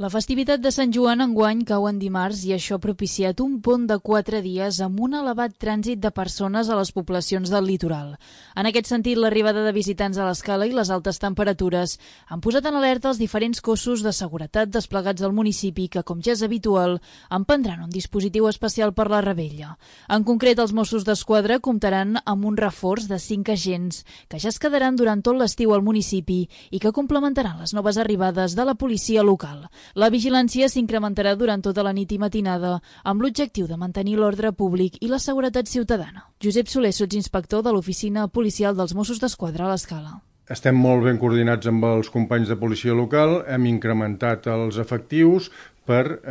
La festivitat de Sant Joan enguany cau en dimarts i això ha propiciat un pont de 4 dies amb un elevat trànsit de persones a les poblacions del litoral. En aquest sentit, l'arribada de visitants a l'escala i les altes temperatures han posat en alerta els diferents cossos de seguretat desplegats al municipi que, com ja és habitual, emprendran un dispositiu especial per la revetlla. En concret, els Mossos d'Esquadra comptaran amb un reforç de 5 agents que ja es quedaran durant tot l'estiu al municipi i que complementaran les noves arribades de la policia local. La vigilància s'incrementarà durant tota la nit i matinada amb l'objectiu de mantenir l'ordre públic i la seguretat ciutadana. Josep Soler, sotsinspector de l'Oficina Policial dels Mossos d'Esquadra a l'Escala. Estem molt ben coordinats amb els companys de policia local, hem incrementat els efectius per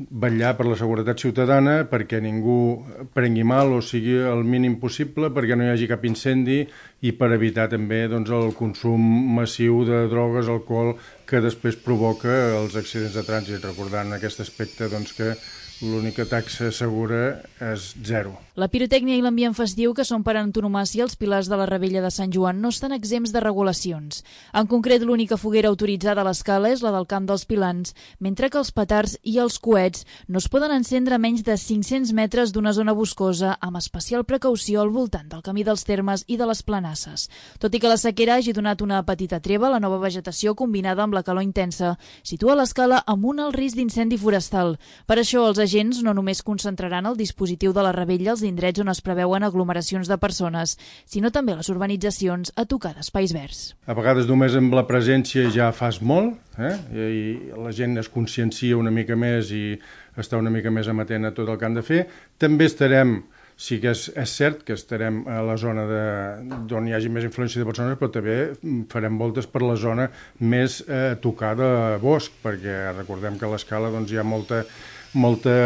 vetllar per la seguretat ciutadana, perquè ningú prengui mal o sigui el mínim possible, perquè no hi hagi cap incendi i per evitar també el consum massiu de drogues, alcohol, que després provoca els accidents de trànsit, recordant en aquest aspecte que l'única taxa segura és 0. La pirotècnia i l'ambient festiu, que són per antonomàsia els pilars de la revetlla de Sant Joan, no estan exempts de regulacions. En concret, l'única foguera autoritzada a l'escala és la del Camp dels Pilans, mentre que els petards i els coets no es poden encendre a menys de 500 metres d'una zona boscosa, amb especial precaució al voltant del camí dels Termes i de les Planasses. Tot i que la sequera hagi donat una petita treva, la nova vegetació, combinada amb la calor intensa, situa l'escala amb un alt risc d'incendi forestal. Per això, els agents no només concentraran el dispositiu de la revetlla als indrets on es preveuen aglomeracions de persones, sinó també les urbanitzacions a tocar d'espais verds. A vegades només amb la presència ja fas molt, i la gent es consciencia una mica més i està una mica més amatent a tot el que han de fer. També estarem, sí que és cert que estarem a la zona on hi hagi més influència de persones, però també farem voltes per la zona més tocada a bosc, perquè recordem que a l'escala hi ha molta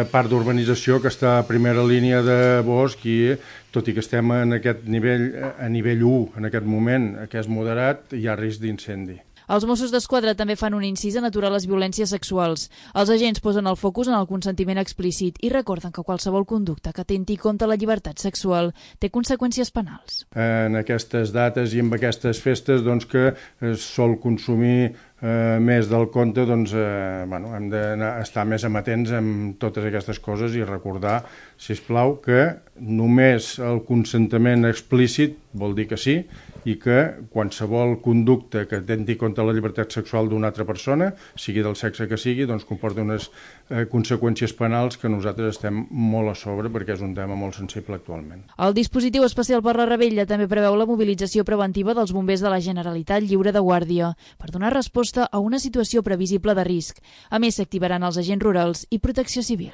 part d'urbanització que està a primera línia de bosc i, tot i que estem en aquest nivell, a nivell 1 en aquest moment, que és moderat, hi ha risc d'incendi. Els Mossos d'Esquadra també fan un incís en aturar les violències sexuals. Els agents posen el focus en el consentiment explícit i recorden que qualsevol conducta que atempti contra la llibertat sexual té conseqüències penals. En aquestes dates i en aquestes festes que es sol consumir més del compte, hem d'estar més amatents amb totes aquestes coses i recordar, sisplau, que només el consentiment explícit vol dir que sí i que qualsevol conducta que atempti contra la llibertat sexual d'una altra persona, sigui del sexe que sigui, comporta unes conseqüències penals que nosaltres estem molt a sobre perquè és un tema molt sensible actualment. El dispositiu especial per la revetlla també preveu la mobilització preventiva dels bombers de la Generalitat lliure de guàrdia per donar resposta a una situació previsible de risc. A més, s'activaran els agents rurals i protecció civil.